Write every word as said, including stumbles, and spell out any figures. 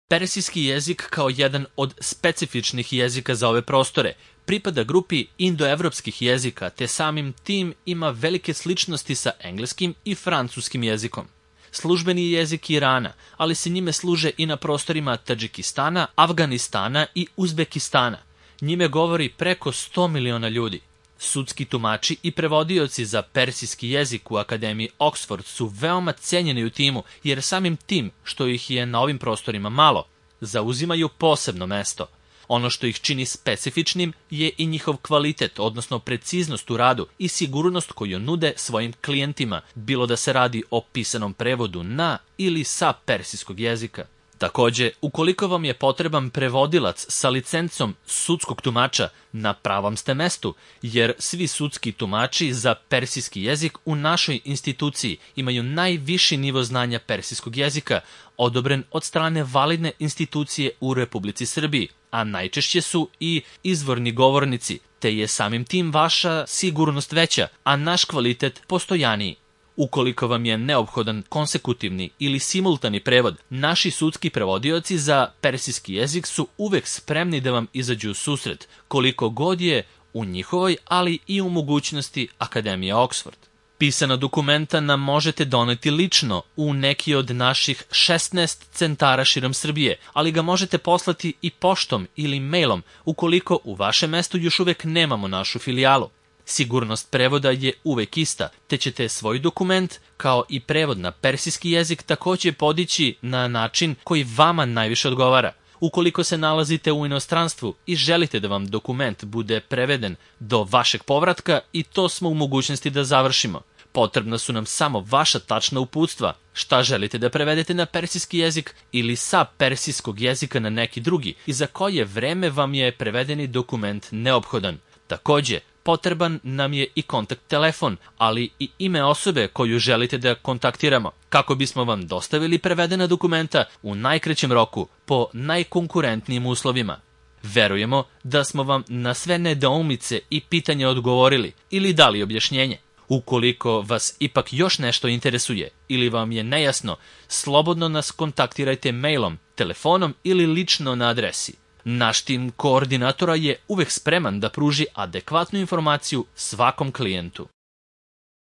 Persijski jezik kao jedan od specifičnih jezika za ove prostore pripada grupi indoevropskih jezika, te samim tim ima velike sličnosti sa engleskim i francuskim jezikom. Službeni jezik Irana, ali se njime služe i na prostorima Tadžikistana, Afganistana i Uzbekistana. Njime govori preko sto miliona ljudi. Sudski tumači i prevodioci za persijski jezik u Akademiji Oxford su veoma cenjeni u timu, jer samim tim što ih je na ovim prostorima malo, zauzimaju posebno mesto. Ono što ih čini specifičnim je i njihov kvalitet, odnosno preciznost u radu i sigurnost koju nude svojim klijentima, bilo da se radi o pisanom prevodu na ili sa persijskog jezika. Takođe, ukoliko vam je potreban prevodilac sa licencom sudskog tumača, na pravom ste mestu, jer svi sudski tumači za persijski jezik u našoj instituciji imaju najviši nivo znanja persijskog jezika, odobren od strane validne institucije u Republici Srbiji, a najčešće su i izvorni govornici, te je samim tim vaša sigurnost veća, a naš kvalitet postojaniji. Ukoliko vam je neophodan konsekutivni ili simultani prevod, naši sudski prevodioci za persijski jezik su uvek spremni da vam izađu u susret, koliko god je u njihovoj, ali i u mogućnosti Akademije Oxford. Pisana dokumenta nam možete doneti lično u neki od naših šesnaest centara širom Srbije, ali ga možete poslati i poštom ili mailom ukoliko u vašem mestu još uvek nemamo našu filijalu. Sigurnost prevoda je uvek ista, te ćete svoj dokument, kao i prevod na persijski jezik, takođe podići na način koji vama najviše odgovara. Ukoliko se nalazite u inostranstvu i želite da vam dokument bude preveden do vašeg povratka, i to smo u mogućnosti da završimo. Potrebna su nam samo vaša tačna uputstva, šta želite da prevedete na persijski jezik ili sa persijskog jezika na neki drugi i za koje vreme vam je prevedeni dokument neophodan. Takođe, potreban nam je i kontakt telefon, ali i ime osobe koju želite da kontaktiramo, kako bismo vam dostavili prevedena dokumenta u najkraćem roku po najkonkurentnijim uslovima. Verujemo da smo vam na sve nedoumice i pitanja odgovorili ili dali objašnjenje. Ukoliko vas ipak još nešto interesuje ili vam je nejasno, slobodno nas kontaktirajte mailom, telefonom ili lično na adresi. Naš tim koordinatora je uvek spreman da pruži adekvatnu informaciju svakom klijentu.